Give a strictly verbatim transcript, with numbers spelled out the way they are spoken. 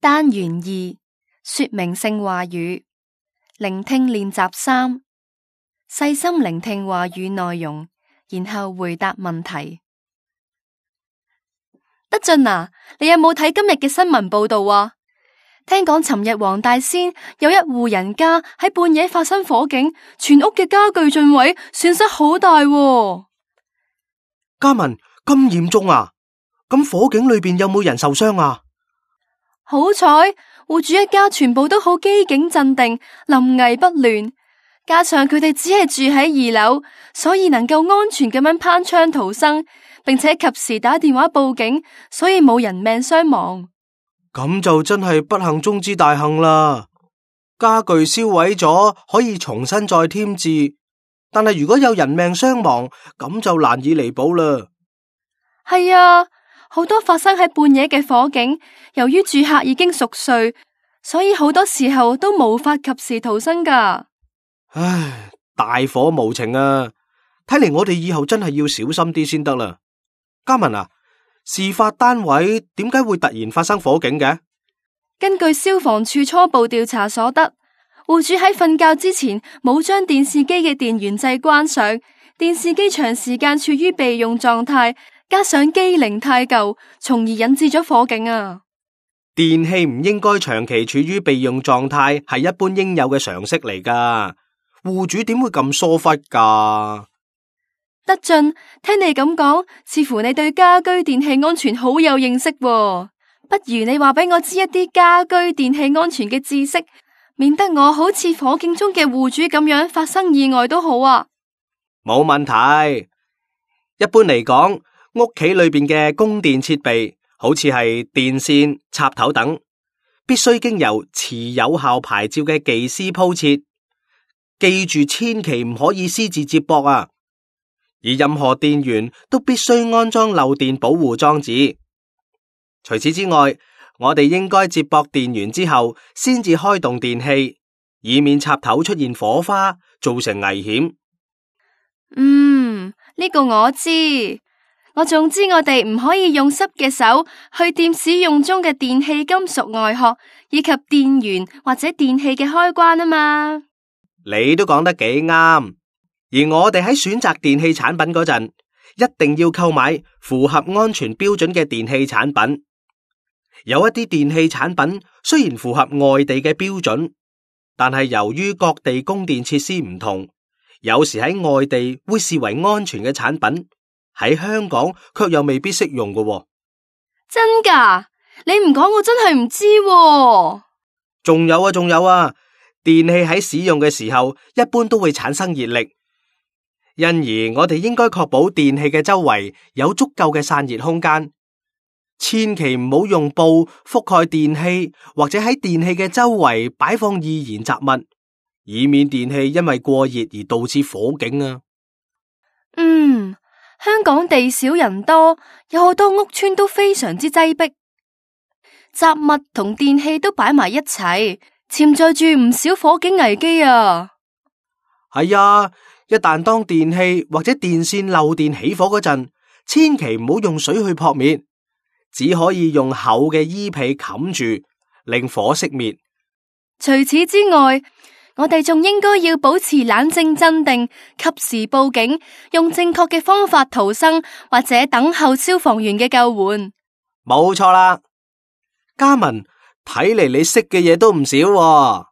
單元二，說明性話語，聆聽練習三，細心聆聽話語內容，然後回答問題。德俊啊，你有冇睇今日嘅新聞報道啊？聽講尋日黃大仙有一戶人家喺半夜發生火警，全屋嘅家具盡毀，損失好大喎。嘉文，咁嚴重啊？咁火警裏邊有冇人受傷啊？好彩戶主一家全部都好機警鎮定，臨危不亂，加上佢哋只係住喺二樓，所以能夠安全咁樣攀窗逃生，並且及時打電話報警，所以冇人命傷亡。咁就真係不幸中之大幸啦！家具燒毀咗可以重新再添置，但係如果有人命傷亡，咁就難以彌補啦。係啊，好多發生喺半夜嘅火警，由於住客已經熟睡，所以好多時候都無法及時逃生㗎。唉，大火無情啊！睇嚟我哋以後真係要小心啲先得啦。嘉文啊，事發單位點解會突然發生火警嘅？根據消防處初步調查所得，戶主喺瞓覺之前冇將電視機嘅電源掣關上，電視機長時間處於備用狀態，加上機齡太舊，從而引致咗火警啊！電器唔應該長期處於備用狀態，係一般應有嘅常識嚟噶。戶主點會咁疏忽噶？德俊，聽你咁講，似乎你對家居電器安全好有認識喎。不如你話俾我知一啲家居電器安全嘅知識，免得我好似火警中嘅戶主咁樣發生意外都好啊。冇問題。一般嚟講，屋企裏邊嘅供電設備，好似係電線、插頭等，必須經由持有效牌照嘅技師鋪設。記住，千祈唔可以私自接駁啊！而任何電源都必須安裝漏電保護裝置。除此之外，我哋應該接駁電源之後，先至開動電器，以免插頭出現火花，造成危險。嗯，呢個我知。我仲知我哋唔可以用濕嘅手去掂使用中嘅電器金屬外殼，以及電源或者電器嘅開關啊嘛。你都講得幾啱，而我哋喺選擇電器產品嗰陣，一定要購買符合安全標準嘅電器產品。有一啲電器產品雖然符合外地嘅標準，但係由於各地供電設施唔同，有時喺外地會視為安全嘅產品，喺香港卻又未必適用㗎喎。真㗎？你唔講我真係唔知喎。仲有啊，仲有啊！電器喺使用嘅時候，一般都會產生熱力，因而我哋應該確保電器嘅周圍有足夠嘅散熱空間，千祈唔好用布覆蓋電器，或者喺電器嘅周圍擺放易燃雜物，以免電器因為過熱而導致火警啊！嗯，香港地少人多，有好多屋邨都非常之擠迫，雜物同電器都擺埋一齊，潛在住唔少火警危機啊！係啊，一旦當電器或者電線漏電起火嗰陣，千祈唔好用水去撲滅，只可以用厚嘅衣被冚住，令火熄滅。除此之外，我哋仲應該要保持冷靜鎮定，及時報警，用正確嘅方法逃生，或者等候消防員嘅救援。冇錯啦，嘉文。睇嚟你識嘅嘢都唔少喎。